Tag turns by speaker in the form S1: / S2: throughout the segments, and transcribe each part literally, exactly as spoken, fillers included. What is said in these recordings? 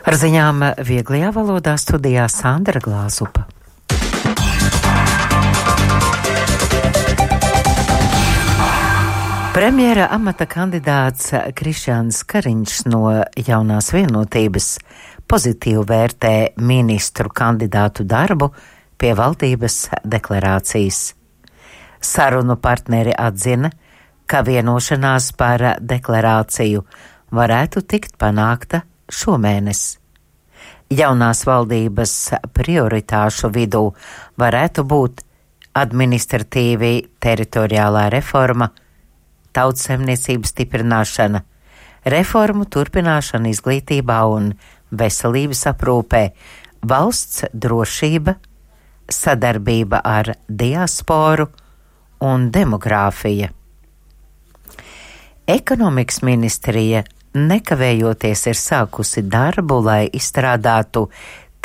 S1: Ar ziņām vieglajā valodā studijā Sandra Glāzupa. Premjera amata kandidāts Krišjāns Kariņš no Jaunās vienotības pozitīvi vērtē ministru kandidātu darbu pie valdības deklarācijas. Sarunu partneri atzina, ka vienošanās par deklarāciju varētu tikt panākta šomēnes. Jaunās valdības prioritāšu vidū varētu būt administratīvi teritoriālā reforma, tautsemniecības stiprināšana, reformu turpināšana izglītībā un veselības aprūpē, valsts drošība, sadarbība ar diasporu un demogrāfija. Ekonomikas ministrija nekavējoties ir sākusi darbu, lai izstrādātu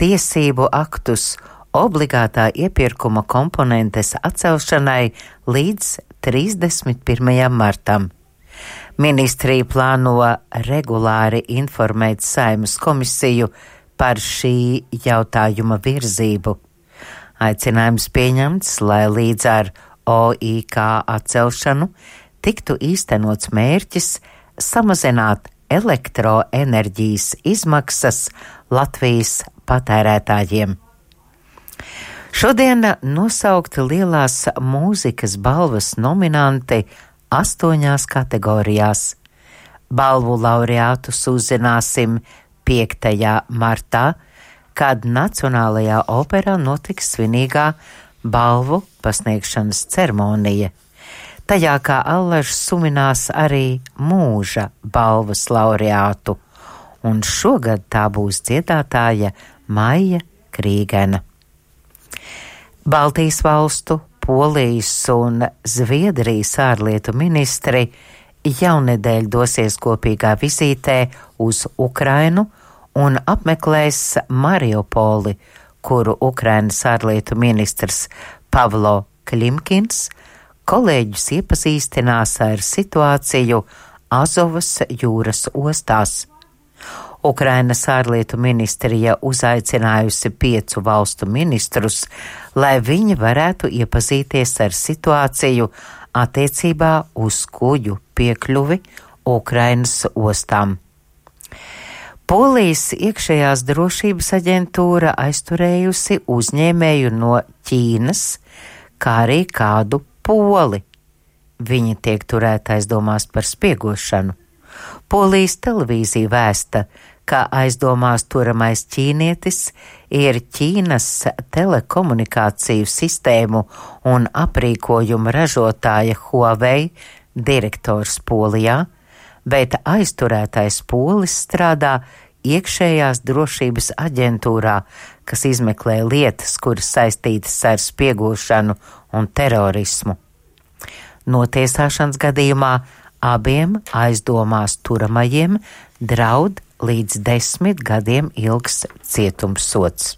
S1: tiesību aktus obligātā iepirkuma komponentes atcelšanai līdz trīsdesmit pirmajam martam. Ministrija plāno regulāri informēt Saeimas komisiju par šī jautājuma virzību. Aicinājums pieņemts, lai līdz ar O I K atcelšanu tiktu īstenots mērķis samazināt elektroenerģijas izmaksas Latvijas patērētājiem. Šodien nosaukti lielās mūzikas balvas nominanti astoņās kategorijās. Balvu laureātus uzzināsim piektajā martā, kad Nacionālajā operā notiks svinīgā balvu pasniegšanas ceremonija. Tajā kā allažs suminās arī mūža balvas laureātu, un šogad tā būs dziedātāja Maija Krīgena. Baltijas valstu, Polijas un Zviedrijas ārlietu ministri jaunedēļ dosies kopīgā vizītē uz Ukrainu un apmeklēs Mariupoli, kuru Ukrainas ārlietu ministrs Pavlo Klimkins kolēģus iepazīstinās ar situāciju Azovas jūras ostās. Ukrainas ārlietu ministrija uzaicinājusi piecu valstu ministrus, lai viņi varētu iepazīties ar situāciju attiecībā uz kuģu piekļuvi Ukrainas ostām. Polijas iekšējās drošības aģentūra aizturējusi uzņēmēju no Ķīnas, kā arī kādu Poli. Viņi tiek turēti aizdomās par spiegošanu. Polijas televīzija vēsta, ka aizdomās turamais ķīnietis ir Ķīnas telekomunikāciju sistēmu un aprīkojuma ražotāja Huawei direktors Polijā, bet aizturētais polis strādā iekšējās drošības aģentūrā, kas izmeklē lietas, kuras saistītas ar spiegošanu un terorismu. Notiesāšanas gadījumā abiem aizdomās turamajiem draud līdz desmit gadiem ilgs cietumsods.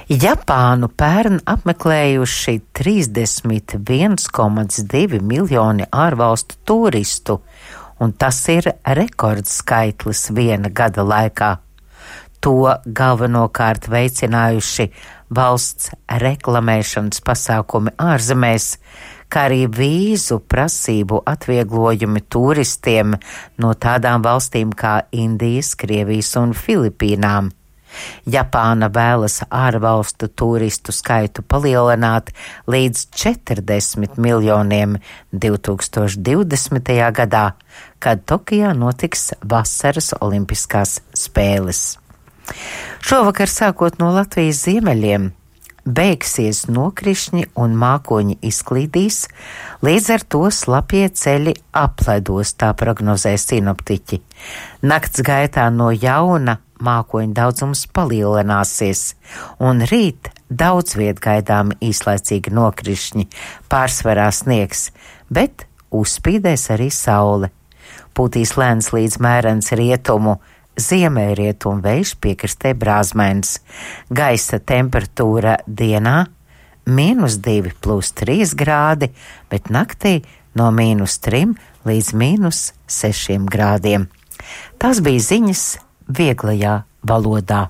S1: Japānu pērn apmeklējuši trīsdesmit viens komats divi miljoni ārvalstu turistu, un tas ir rekordskaitlis viena gada laikā. To galvenokārt veicinājuši valsts reklamēšanas pasākumi ārzemēs, kā arī vīzu prasību atvieglojumi turistiem no tādām valstīm kā Indijas, Krievijas un Filipīnām. Japāna vēlas ārvalstu turistu skaitu palielināt līdz četrdesmit miljoniem divi tūkstoši divdesmitajā gadā, kad Tokijā notiks vasaras olimpiskās spēles. Šovakar sākot no Latvijas ziemeļiem beigsies nokrišņi un mākoņi izklīdīs, līdz ar to slapjie ceļi apledos, tā prognozē sinoptiķi. Nakts gaitā no jauna mākoņu daudzums palielināsies, un rīt daudz viet gaidām īslaicīgi nokrišņi, pārsvarā sniegs, bet uzspīdēs arī saule. Pūtīs lēns līdz mērens rietumu, ziemeļrietumu vējš piekrastē brāzmains. Gaisa temperatūra dienā mīnus divi plus trīs grādi, bet naktī no mīnus trim līdz mīnus sešiem grādiem. Tās bija ziņas vieglajā valodā.